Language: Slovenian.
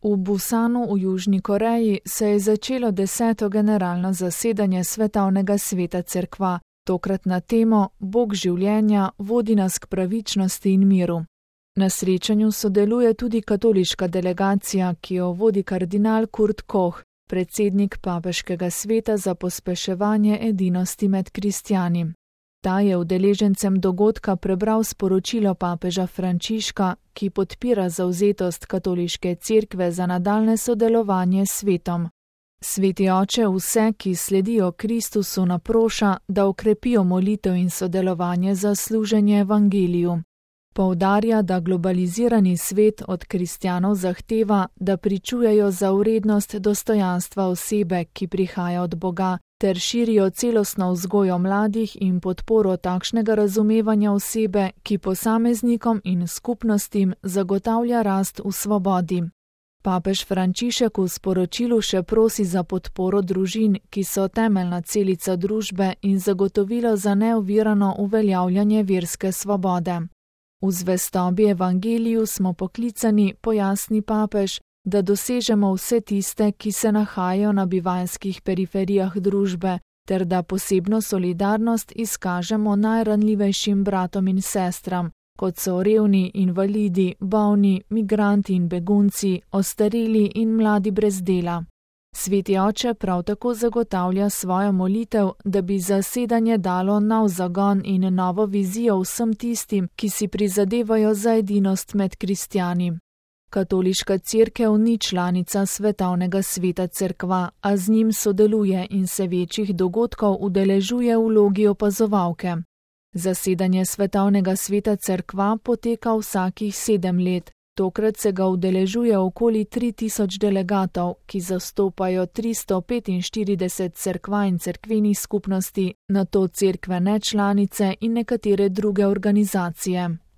V Busanu v Južni Koreji se je začelo 10. generalno zasedanje Svetovnega sveta cerkva, tokrat na temo Bog življenja vodi nas k pravičnosti in miru. Na srečanju sodeluje tudi katoliška delegacija, ki jo vodi kardinal Kurt Koch, predsednik Papeškega sveta za pospeševanje edinosti med kristjani. Ta je udeležencem dogodka prebral sporočilo papeža Frančiška, ki podpira zavzetost katoliške cerkve za nadaljne sodelovanje s svetom. Sveti oče vse, ki sledijo Kristusu, naproša, da okrepijo molitev in sodelovanje za služenje evangeliju. Poudarja, da globalizirani svet od kristjanov zahteva, da pričujejo za vrednost dostojanstva osebe, ki prihaja od Boga, ter širijo celostno vzgojo mladih in podporo takšnega razumevanja osebe, ki posameznikom in skupnostim zagotavlja rast v svobodi. Papež Frančišek v sporočilu še prosi za podporo družin, ki so temeljna celica družbe in zagotovilo za neovirano uveljavljanje verske svobode. V zvestobi evangeliju smo poklicani, pojasni papež, da dosežemo vse tiste, ki se nahajajo na bivanjskih periferijah družbe, ter da posebno solidarnost izkažemo najranljivejšim bratom in sestram, kot so revni, invalidi, bolni, migranti in begunci, ostareli in mladi brez dela. Sveti oče prav tako zagotavlja svojo molitev, da bi zasedanje dalo nov zagon in novo vizijo vsem tistim, ki si prizadevajo za edinost med kristjani. Katoliška cerkev ni članica Svetovnega sveta cerkva, a z njim sodeluje in se večjih dogodkov udeležuje v vlogi opazovalke. Zasedanje Svetovnega sveta cerkva poteka vsakih 7 let. Tokrat se ga udeležuje okoli 3000 delegatov, ki zastopajo 345 cerkva in cerkvenih skupnosti, nato cerkve nečlanice in nekatere druge organizacije.